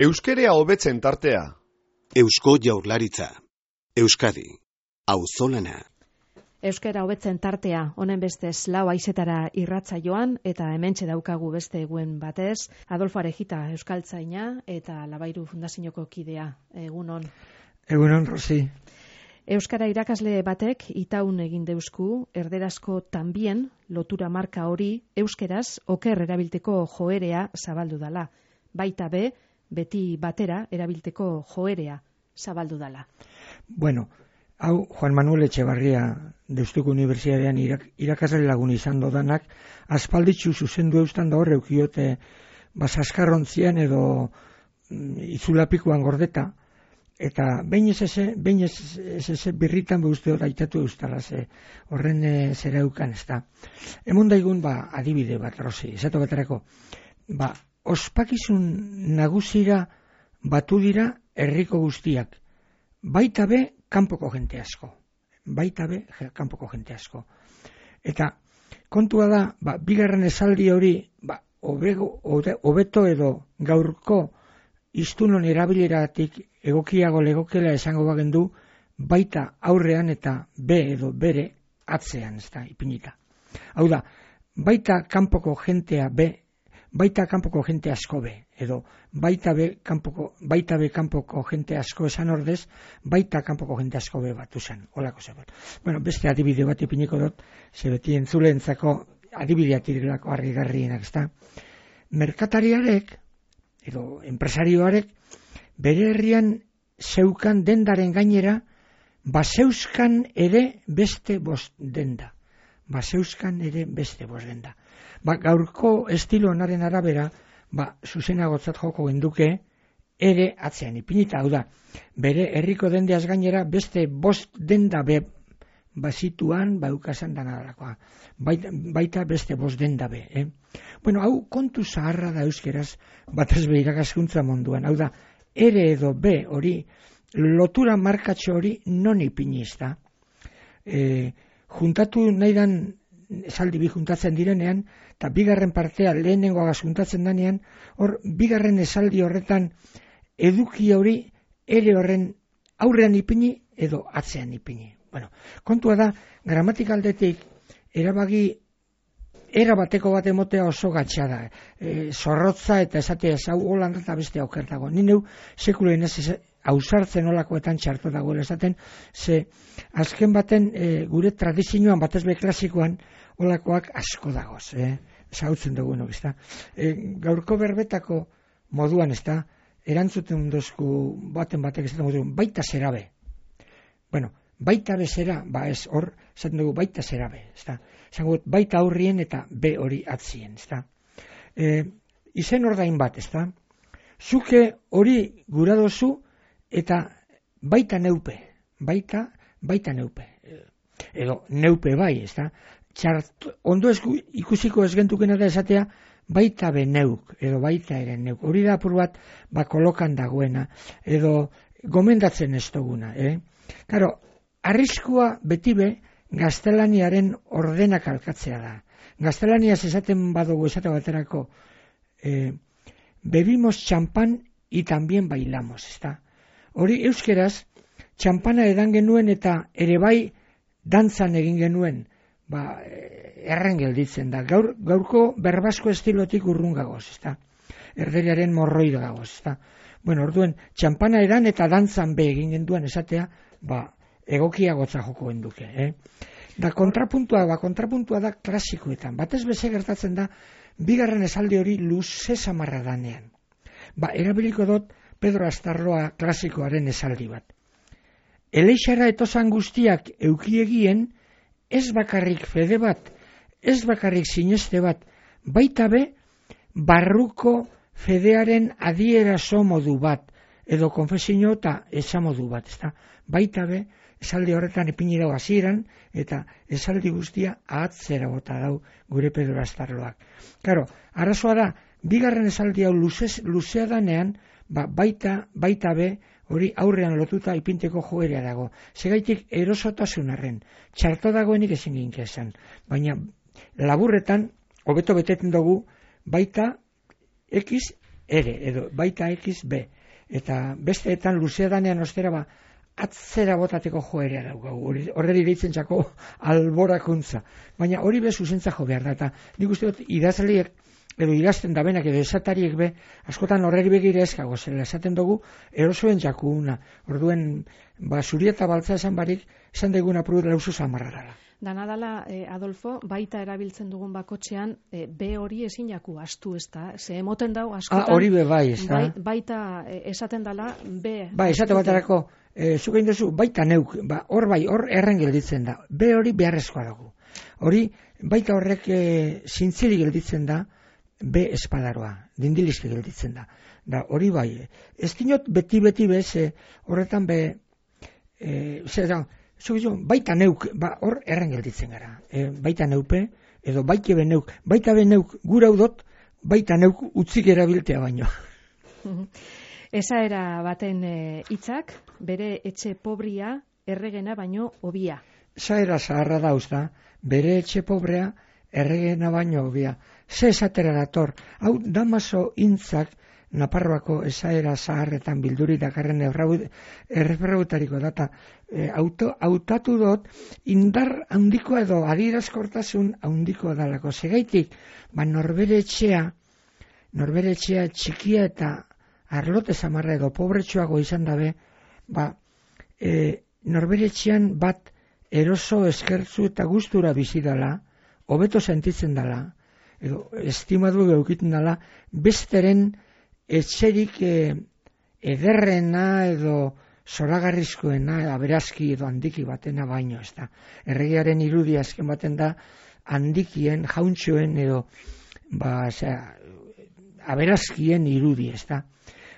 Euskerea hobetzen tartea. Eusko Jaurlaritza. Euskadi. Auzolana. Euskera hobetzen tartea, honen bestez lau haizetara irratsaioan eta hementxe daukagu beste eguen batez, Adolfo Arejita euskaltzaina eta Labairu Fundazioko kidea. Egunon. Egunon, Rosi. Euskara irakasle batek itaun egin deusku, erderazko tambien lotura marka hori euskeraz oker erabilteko joerea zabaldu dala. Baita be, beti batera erabilteko joerea zabaldu dala. Bueno, hau Juan Manuel Etxebarria Deustuko Unibertsitatean irakasle lagun izan dodanak, aspalditzu zuzendu eustan da hor eukiote basaskarrontzian edo izulapikoan gordeta, eta behin ez birritan uste hor aitatu eustalaz, horren zera eukan ez da. Emon daigun adibide bat, Rosi, esatu baterako, ospakizun nagusira batu dira herriko guztiak, baita be kanpoko jente asko. Eta kontua da, bigarren esaldi hori, hobeto edo gaurko iztunon erabileratik egokiago legokela esango bagendu, baita aurrean eta edo bere atzean, ez da, ipinita. Hau da, baita kanpoko jentea baita kanpoko jente asko edo baita be kanpoko jente asko esan ordez, baita kanpoko jente asko batu zen, holako zebat. Bueno, beste adibide bat ipiniko dut, ze beti entzuleentzako adibideak direlako argigarrienak, ezta. Merkatariarek edo enpresarioarek bere herrian zeukan dendaren gainera baseuskan ere beste bost denda. Gaurko estilo honaren arabera, zuzenagotzat joko genduke, ere atzean ipinita, hau da, bere herriko dendeaz gainera beste bost denda bazituan baukasan danarakoa. Baita beste bost denda Bueno, hau kontu zaharra da euskeraz, batez be irakaskuntza munduan, hau da, ere edo be hori, lotura markatxo hori non ipiniz da. Juntatu nahi dan esaldi bi juntatzen direnean, eta bigarren partea lehenengoa juntatzen danean, hor bigarren esaldi horretan eduki hori ere horren aurrean ipini edo atzean ipini. Bueno, kontua da, gramatikaldetik erabateko bat emotea oso gatsa da. Zorrotza eta esatea hau holanda eta beste aukertago. Ni neu sekulen ez ausartzen olakoetan txarto dagoela esaten, ze azken baten gure tradizioan batez be klasikoan olakoak asko dagoz, zautzen dugunok, ez da. Gaurko berbetako moduan, ez da, erantzuten dozku batek ez da moduan, baita zerabe. Bueno, baita bezera, ez hor, esaten dugu baita zerabe, ez da. Esango, baita aurrien eta be hori atzien, ez da. Izen ordain bat, ez da. Zuke hori gura dozu eta baita neupe. Edo neupe bai, ez da. Ondo ikusiko ez gentukena da esatea, baita be neuk, edo baita ere neuk. Hori da apur bat, kolokan dagoena, edo gomendatzen ez duguna. Karo, arriskua beti be, gaztelaniaren ordenak alkatzea da. Gaztelaniaz esaten badugu esate baterako, bebimos champán y también bailamos, ez da. Hori euskeraz, txampana edan genuen eta ere bai dantzan egin genuen, erren gelditzen da. Gaurko berbasko estilotik urrun gagoz, ez da. Erderiaren morroi gagoz, ez da. Bueno, orduen, txampana edan eta dantzan be egin genuen esatea, egokiagotza joko genduke. Da kontrapuntua da klasikoetan. Batez beze gertatzen da, bigarren esaldi hori luze samarra danean. Erabiliko dut Pedro Astarloa klasikoaren esaldi bat. Eleixara etosan guztiak eukiegien, ez bakarrik fede bat, ez bakarrik sineste bat, baita be, barruko fedearen adierazo modu bat, edo konfesio eta esamodu bat, ezta? Baita be, esaldi horretan ipini dago hasieran eta esaldi guztia ahatzera bota dau gure Pedro Astarloak. Karo, arazoa da, bigarren esaldi hau luzea danean, baita be, hori aurrean lotuta ipinteko joerea dago. Segaitik erosotasunarren, txarto dagoenik ezin ginke esan. Baina laburretan, hobeto beteten dugu, baita X ere, edo baita X, B. Eta besteetan luzea danean ostera atzera botateko joerea daukagu, horreri deitzen txako alborakuntza. Baina hori be zuzentza jo behar da, eta nik uste dut idazleek edo idazten da benak edo esatariek be, askotan horreri begire eskago, zela esaten dugu erosoen jakuna. Orduen, zuri eta baltza esan barik, esan deguna prudet lauzu zamarrarala. Dana dala, Adolfo, baita erabiltzen dugun bakotxean, B hori ezin jaku astu, ez da? Ze emoten dau, askotan, hori be bai, ez da? Baita esaten dala, B. Bai, esate baterako, zuk egin duzu, baita neuk, hor erren gelditzen da. B hori beharrezkoa dago. Hori, baita horrek zintziri gelditzen da, B espadaroa, dindilizke gelditzen da. Da, hori bai, ez dinot beti bez, horretan be, baita neuk, hor erren gelditzen gara. Baita neupe, edo baita be neuk gura udot, baita neuk utzik erabiltea baino. Esaera baten hitzak, bere etxe pobria, erregena baino hobia. Esaera zaharra dauz da, bere etxe pobrea, erregena baino hobia. Ze esatera dator, hau Damaso intzak, Naparroako esaera zaharretan bilduri dakarren erreferautariko data, hautatu dut indar handikoa edo adierazkortasun handikoa dalako. Segaitik, norbere etxea txikia eta arlote zamarra edo pobretsuago izan dabe, norbere etxean bat eroso, eskertzu eta gustura bizi dala, hobeto sentitzen dala, edo estimadu geukiten dala, besteren etxerik ederrena edo zoragarrizkoena, aberazki edo handiki batena baino, ez da. Erregearen irudia azken baten da handikien, jauntxoen edo aberazkien irudi, ez da.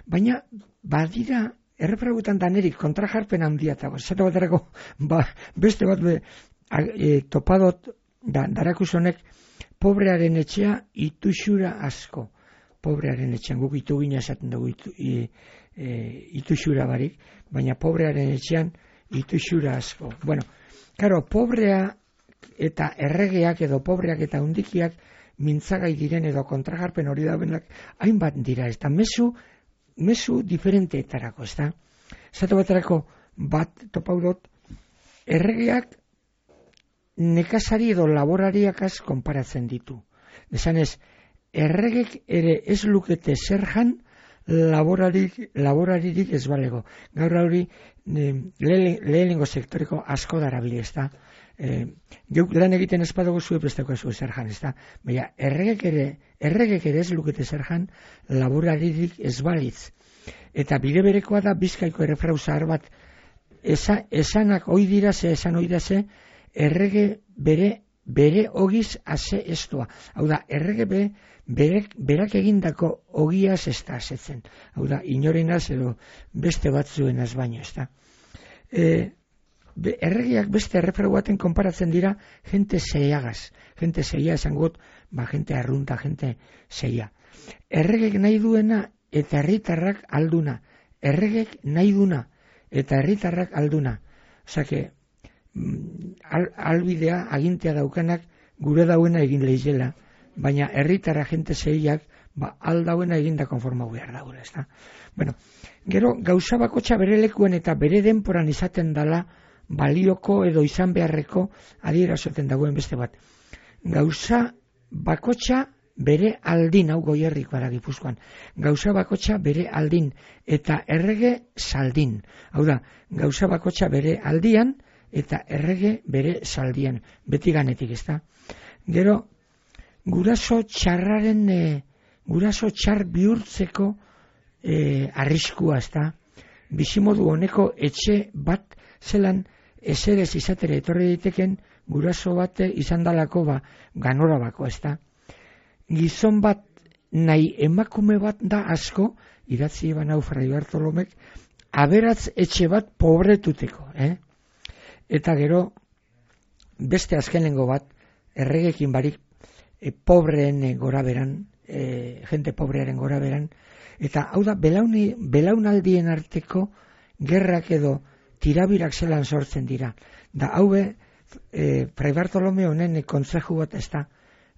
Baina, badira, erreferautan danerik kontrajarpen handia eta zato baterako, beste bat topadot darakusonek pobrearen etxea ituxura asko. Pobrearen etxean, guk itugina esaten dugu ituxura barik, baina pobrearen etxean ituxura asko. Bueno, karo, pobrea eta erregeak edo pobreak eta hundikiak mintzagai diren edo kontrajarpen hori da benak hainbat dira, ez da, mezu diferenteetarako, ez da. Zato baterako bat topaudot, erregeak nekazari edo laborariakaz konparatzen ditu. Esanez, erregek ere ez lukete zerjan laboraririk ez balego. Gaur hori lehenengo sektoreko asko darabili, ez da. Geuk lan egiten espadugu zuen besteko ez zerjan, ez da. Baina erregek ere ez lukete zerjan laboraririk ez balitz. Eta bide berekoa da Bizkaiko errefrau zahar bat, esanak esan oidiraze, errege bere ogiz ase estua. Hau da, errege berak egindako ogiaz ez da asetzen. Hau da, inorenaz edo beste batzuenaz baino, ez da. Erregeak beste erreferu baten konparatzen dira jente zeiagaz. Jente zeia esan gut, jente arrunta, jente zeia. Erregek nahi duena eta herritarrak alduna. Erregek nahi duna eta herritarrak alduna. Osake, albidea, agintea daukanak gure dauena egin lehizela, baina herritarra jente zeiak aldauena eginda konformau behar dagoela, ez da. Bueno, gero, gauza bakotxa bere lekuen eta bere denporan izaten dala balioko edo izan beharreko adierazoten dagoen beste bat. Gauza bakotxa bere aldin, hau Goierrikoa da Gipuzkoan, gauza bakotxa bere aldin eta errege saldin. Hau da, gauza bakotxa bere aldian eta errege bere saldian, beti ganetik, ez da. Gero, guraso txar bihurtzeko arriskua, ez da. Bizimodu honeko etxe bat zelan eserez izatere etorri daiteken guraso bat izan dalako ganora bako, ez da. Gizon bat nahi emakume bat da asko, idatzi eban hau Fray Bartolomek, aberatz etxe bat pobretuteko, Eta gero, beste azkenengo bat, erregekin barik, pobreen goraberan, jente pobrearen goraberan, eta hau da, belaunaldien arteko gerrak edo tirabirak zelan sortzen dira. Da, haue, Fray Bartolome honen kontzeju bat ez da,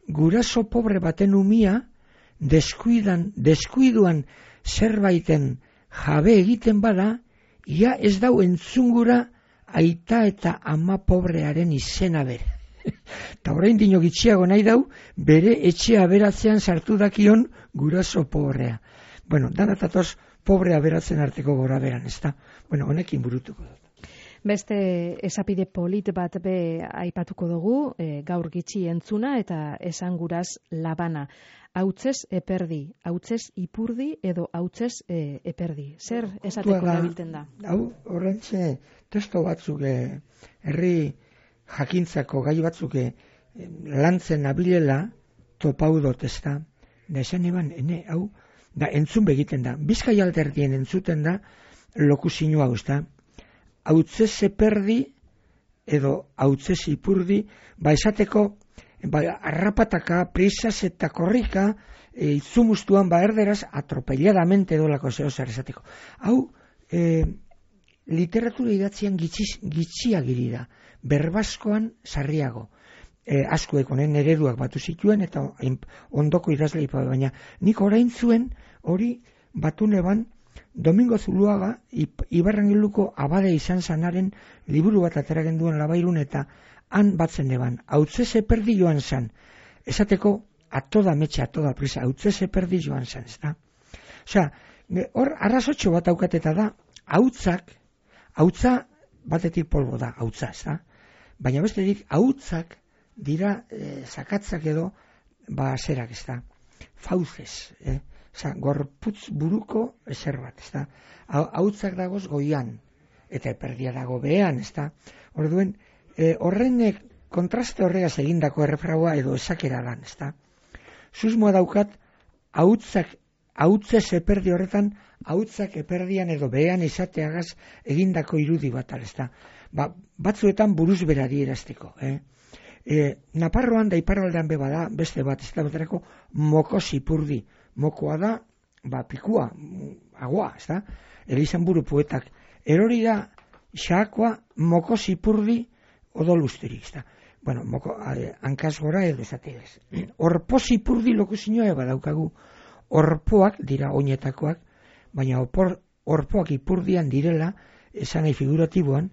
guraso pobre baten umia, deskuiduan zerbaiten jabe egiten bada, ia ez dau entzungura aita eta ama pobrearen izena bere. Eta orain dino gitxiago nahi dau, bere etxe aberatzean sartu dakion guraso pobrea. Bueno, danatatoz pobre aberatzen arteko gora beran, ez da? Bueno, honekin burutuko dut. Beste esapide polit bat be aipatuko dugu, gaur gitxi entzuna eta esanguraz labana. Hautzez eperdi, hautzez ipurdi edo hautzez eperdi. Zer esateko erabiltzen da? Hau, horrentxe, testo batzuk herri jakintzako gai batzuk lantzen abilela topau dut, ez da? Da esan eban, hau, da entzun begiten da. Bizkai alterdien entzuten da lokuzio hau, ez da? Hautzez eperdi edo hautzez ipurdi, esateko arrapataka, prisas eta korrika, itzumustuan erderaz atropelladamente dolako zer esateko. Hau, literatura idatzian gitxiagiri da, berbaskoan sarriago. Askoek honen ereduak batu zituen eta ondoko idazlei, baina nik orain zuen hori batu neban Domingo Zuluaga Ibarrangiluko abade izan zanaren liburu bat ateragen duen Labairun eta han batzen eban, hautzez eperdi joan zan. Esateko, atoda metxe, atoda prisa, hautzez eperdi joan zan, ez da? Osea, hor arrazotxo bat aukateta da, hautza batetik polbo da, hautza, ez da? Baina bestetik, hautzak dira zakatzak edo, zerak, ez da? Fauzez, gorputz buruko ezer bat, ez da? Hautzak dagoz goian, eta eperdia dago behan, ez da? Orduen, horrenek kontraste horregaz egindako errefraua edo esakera lan, ez da? Susmoa daukat, hautzez eperdi horretan, hautzak eperdian edo behan izateagaz egindako irudi bat, ez da? Batzuetan buruz berari erazteko, Naparroan da iparraldean bada beste bat, ez da baterako mokos ipurdi. Mokoa da, pikua, agua, ez da? Elizan buru poetak. Erori da, xaakoa mokos ipurdi odolusterik, ez da? Bueno, hankaz gora edo ezategez. Orpoz ipurdi lokuzinoa badaukagu. Orpoak dira oinetakoak, baina orpoak ipurdian direla, esan nahi figuratiboan,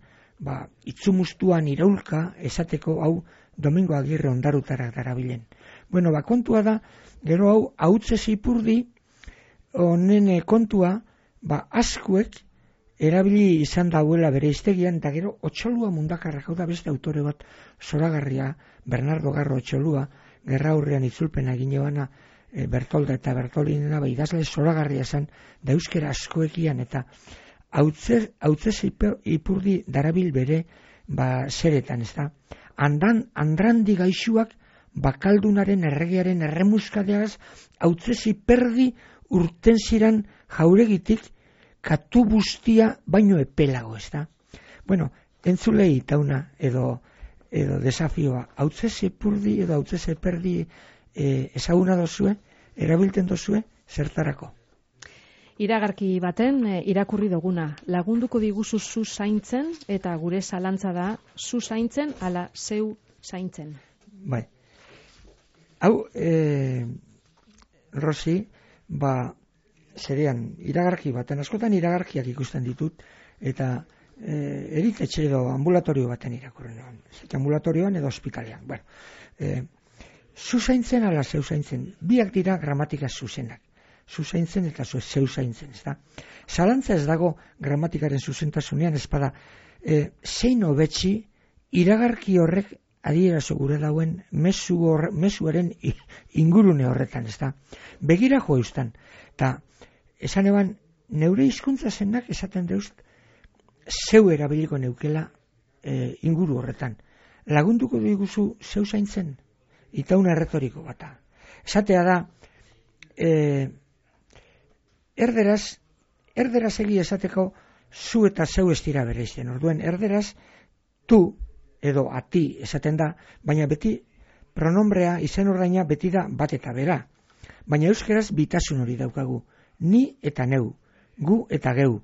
itzumustuan iraulka esateko hau Domingo Agirre ondarutarak darabilen. Bueno, kontua da, gero hau, hautzez ipurdi, honen kontua, askuek erabili izan dauela bere iztegian, eta gero Otxolua mundakarrak, hau da beste autore bat, zoragarria, Bernardo Garro Otxolua, gerra aurrean itzulpena gineoana, Bertolda eta Bertolinena, idazle zoragarria zen, da euskera askoekian, eta hautzez ipurdi darabil bere, zeretan, ez da? Andrandi gaixuak bakaldunaren erregearen erremuskadeaz hautzez iperdi urten ziran jauregitik katu bustia baino epelago, ez da? Bueno, entzulei tauna edo desafioa, hautzez ipurdi edo hautzez eperdi ezaguna dozue, erabilten dozue, zertarako? Iragarki baten irakurri duguna, lagunduko diguzu zu zaintzen eta gure zalantza da zu zaintzen ala zeu zaintzen. Bai. Hau, Rosi, zerean iragarki baten, askotan iragarkiak ikusten ditut, eta eritetxe edo ambulatorio baten irakurren egon. Ambulatorioan edo ospitalean. Bueno, zu zaintzen ala zeu zaintzen, biak dira gramatika zuzenak. Zuzaintzen eta zeu zaintzen, ez da? Zalantza ez dago gramatikaren zuzentasunean, ez bada, zein hobetsi iragarki horrek adierazo gure dauen mezuaren ingurune horretan, ez da? Begira jo eustan, eta esan eban, neure hizkuntza zenak esaten deust, zeu erabiliko neukela inguru horretan. Lagunduko diguzu zeu zaintzen, itauna erretoriko bata. Esatea da, erderaz egi esateko zu eta zeu ez dira bereizten. Orduen, erderaz tu edo ati esaten da, baina beti pronombrea, izen ordaina beti da bat eta bera. Baina euskeraz bitasun hori daukagu. Ni eta neu, gu eta geu,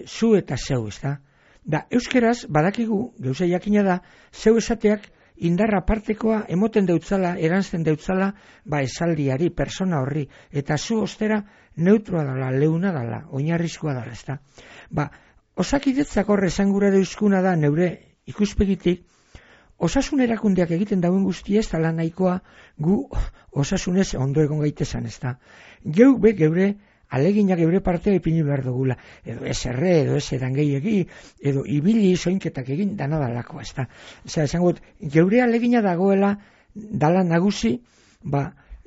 zu eta zeu, ez da? Da, euskeraz badakigu, geuze jakina da, zeu esateak indarra partekoa emoten deutzala, eransten deutzala, esaldiari, persona horri, eta zu ostera neutroa dala, leuna dala, oinarrizkoa dala, ezta. Osakidetzak horre esangura deuskuna da, neure ikuspegitik, osasun erakundeak egiten dauen guzti ez dala nahikoa gu osasunez ondo egon gaitezan, ezta. Geure aleginak geure partea ipini behar dugula, edo ez erre, edo ez edan gehiagi, edo ibili soinketak egin dana dalako, ezta. Esango, geure alegina dagoela dala nagusi,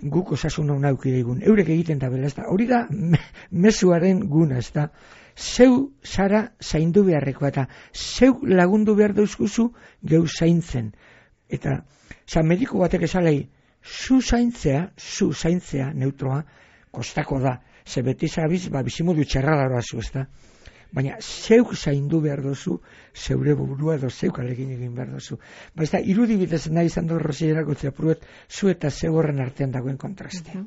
guk osasun hau nauki digun, eurek egiten da bela, ezta. Hori da mezuaren guna, ezta. Zeu zara zaindu beharrekoa eta zeu lagundu behar dauzkuzu geu zaintzen. Eta, mediku batek esalei, zu zaintzea neutroa, kostako da. Ze beti zabiz, bizimodu txerra daroazu, ezta? Baina zeuk zaindu behar dozu, zeure burua edo zeuk alegin egin behar dozu. Ez irudibidez nahi izan dut Rosierako zeapruet, zu eta zeu horren artean dagoen kontrastea.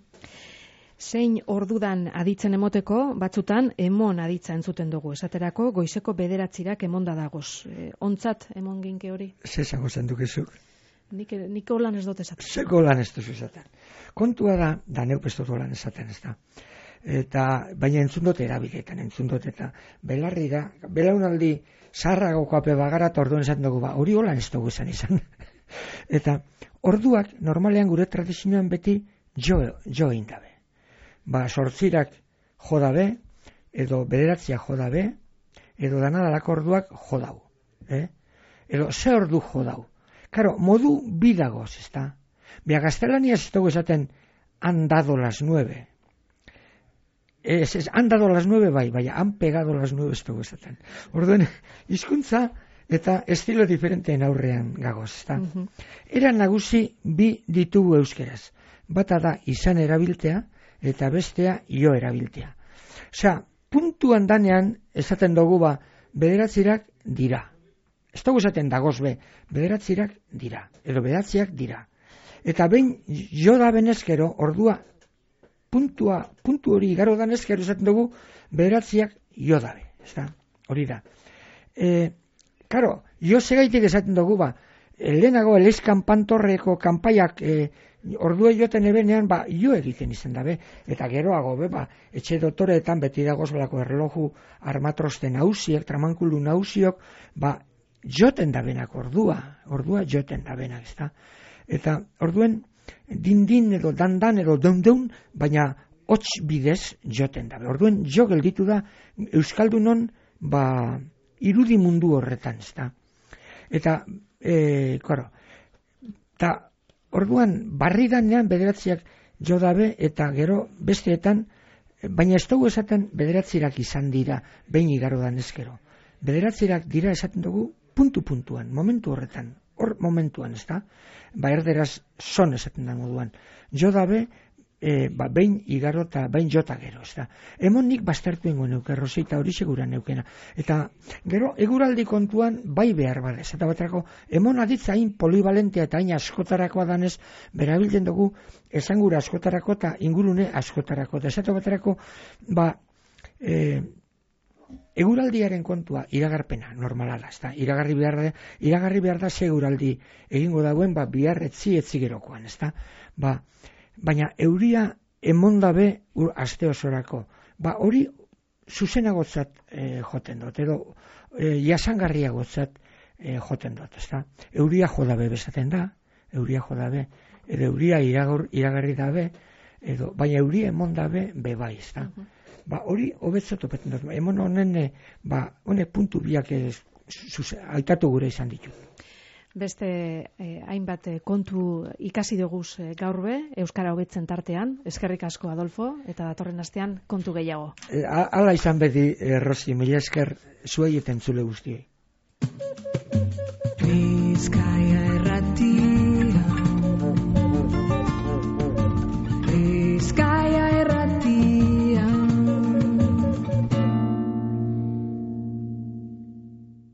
Zein ordudan aditzen emoteko, batzutan emon aditza entzuten dugu. Esaterako, goizeko 9 emonda dagoz. Ontzat emon ginke hori? Zezago zen dukezuk. Nik holan ez dut esaten. Zeko lan ez duzu esaten. Kontua da neuk ez dut holan esaten, ez da. Baina entzun dut erabiletan, eta belarri da, belaunaldi zaharragoko ape bagara eta orduan esaten dugu, hori holan ez dugu izan. Eta orduak normalean gure tradizioan beti jo egin dabe. 8 jo dabe, edo 9 jo dabe, edo danadalako orduak jo dau. Edo ze ordu jo dau. Karo, modu bidagoz, ez da. Gaztelaniaz ez dugu esaten han dado las 9. Han dado las 9 baina han pegado las 9 ez dugu esaten. Orduen, hizkuntza eta estilo diferenteen aurrean gagoz, ez da. Era nagusi bi ditugu euskeraz. Bata da izan erabiltea, eta bestea jo erabiltea. Puntuan danean esaten dugu 9 dira. Ez dugu esaten dagoz 9 dira, edo 9 dira. Eta behin jo da benezkero, ordua, puntu hori igaro danezkero esaten dugu 9 jo dabe. Hori da. Karo, jo segaitik esaten dugu lehenago Eleizkan Pantorreko kanpaiak ordua joten ebenean, jo egiten izan dabe, eta geroago, etxe dotoreetan beti dagozlako erloju armatrosten hausiek, tramankulu nausiok, joten dabenak ordua joten dabenak, ez da. Eta orduen, din edo dan edo deun, baina hots bidez joten dabe. Orduen, jo gelditu da Euskaldunon, irudi mundu horretan, ez da. Eta, orduan, barri danean 9 jo dabe, eta gero besteetan, baina ez dugu esaten 9 izan dira, behin igaro danezkero. 9 dira esaten dugu puntuan, momentu horretan, hor momentuan, ez da? Erderaz son esaten da moduan. Jo dabe, behin igaro eta behin jota gero, ez da. Hemon nik baztertu ingo neuke, Rosita hori segura neukena. Eta gero, eguraldi kontuan bai behar badez. Eta baterako, hemon aditza hain polivalentea eta hain askotarakoa danez, berabiltzen dugu esangura askotarako eta ingurune askotarako. Eta esatu baterako, eguraldiaren kontua iragarpena, normalala, ez da. Iragarri behar da ze eguraldi egingo dauen, bihar etzi gerokoan, ez da. Baina euria emondabe aste osorako. Hori zuzenagotzat joten dut, edo jasangarriagotzat joten dut, ez da. Euria jodabe bezaten da, edo euria iragarri dabe, baina euria emondabe bebai, ez da. Hori hobetzat opeten dut. Emon honen, honek puntu biak aitatu gure izan ditu. Beste hainbat kontu ikasi duguz gaur Euskara hobetzen tartean. Eskerrik asko, Adolfo, eta datorren astean kontu gehiago. Hala izan beti, Rosi, mila esker zuei eta entzule guztiei.